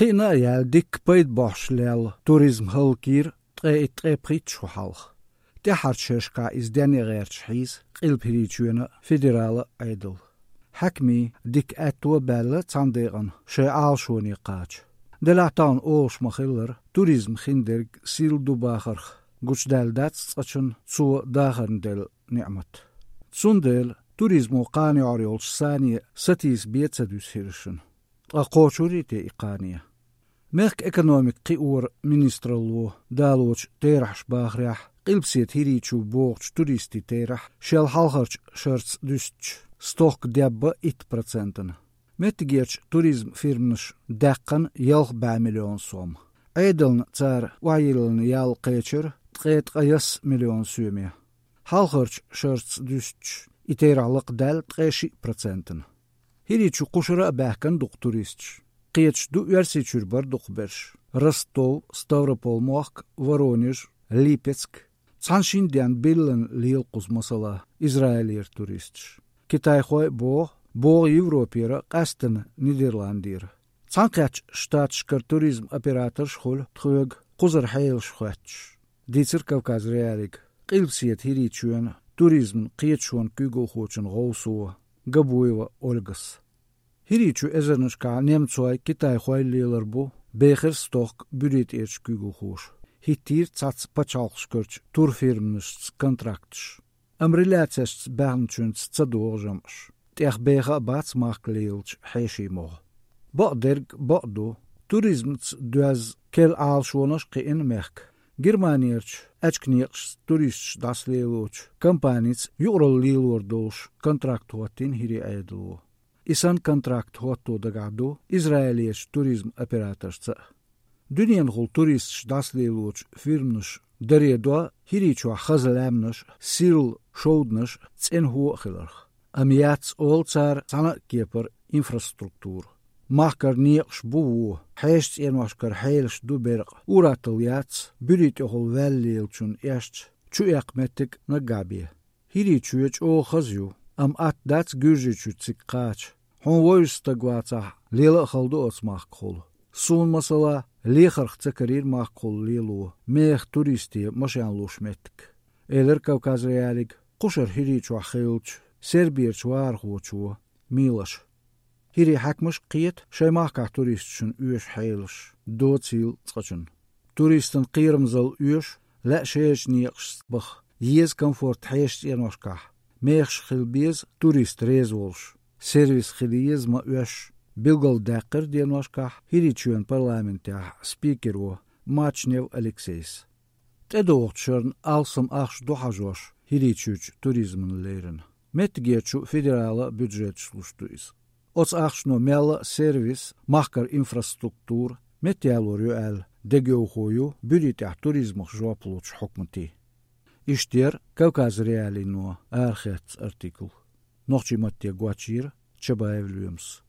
قينا يال ديك بيد باش ليل توريزم هالكير تقي بريت شو حالخ تحرت شركة إزداني غير شحيز قيل بريتشونا فيدرال عيدل حكمي ديك أتوا بالة تانديغن شعال شوني قاج دلعتان أوش مخيلر توريزم خندرج سيل دو باخرخ قوش دال دات تسقشن سو داخرن دل نعمت تسوندل توريزمو قاني عريولش ساني ستيس بيت سدوس هيرشن أقوشوري تي إقانية ميك إكونوميك قيور منسترلو دالوش تيرحش باخريح قلبسيت هيريتشو بوغش توريستي تيرح شال حالخرش شرس دوستش ستوك ديابا 1%. متجيرش توريزم فيرمنش دقن يلخ 2 مليون سوم عيدلن تار وعيلن يال قيتشر تقيت قيس مليون سومية حالخرش شرس دوستش إتيرع لقدال تقيشي %. هيريتشو قشرة باكن دكتوريستش قيتش دو يرسيتشور بر دقبرش رستو ستاوروبول موخك ورونيج ليبيتسك تانشين ديان بيلن ليلقوز مسلا إسرائيلير توريستش كيتاي خوي بوغ يوروبيرا قاستن نيدرلاندير تانقاتش شتات شكر توريزم أبيراتر شخول تخوغ قزر حيل شخواتش ديتر كوكاز رياليك قيلبسيت هيريتشوان توريزم قيتشوان كيغو خوچن غوصو قبويوا أولغس هيريتشو إزرنشكا نيمتسواي كيتاي خوي ليلربو بيخر ستوك بريت إيرش كيغو خوش هيتير تاتس بچالخشكرچ تور فيرمنش كونتراكتش أمريلاتس بانچونس تصدوغجمش تيخ بيخا باتس مارك ليلش حيشي موغ بقدرگ بقدو توريزمتس دوز كيل آلشونش قين ميخك Germaniërtsch, etskniers, toerists das leeuwtsch, kampanits, jurel leeuwordolsch, contract hotin hiri eidlo. Isan contract hoto de gado, Israëliërs toerism operators. Dunien hol toerists das leeuwtsch, firmnus, deredoa, hirichwa chazelemnus, sil, shodnus, tsin hooggelerg. Amiats olzar, zanakkeper, infrastructuur. Machkar niks boe, heest eenwaskar heels duberg, urateliats, buritohol welleeltjun eerst, tjuek metik na gabie. Hiri tjuech o gazju, am at dat gurjitjutzik kaach, hon woistagwatsa, lele galdoos machkol. Soon masala, leger tsakarir machkol lelo, meeg toeristi masjanloos metik. Eler Kaukazrealik, kusher hiri tjua geeltj, Serbiër zwaargootjua, milas. Hiri hakmush qiet, shemaka toeristchen uurs heilers, doodziel tsatschen. Toeristen qirmzel uurs, la sheesh nieks bach, jies comfort heest enoska. Meegs gilbies, toerist reeswolsch, service gilies ma uurs, bilgal dekker dienoska, hiri tjuan parlamentia, speaker Machnev Alexeis. Tedoortschern alsam ach dohajosh, hiri tjuch toerismen leren. Met geertju federale budgetslusthuis. Ots achno melle service, machkar infrastructuur, met jalor degeugoju, budita toerisme joaplots hokmati. Ishter, Kaukaz Reali no, archets artikel. Nochtje matje guachir, Chabaev Williams.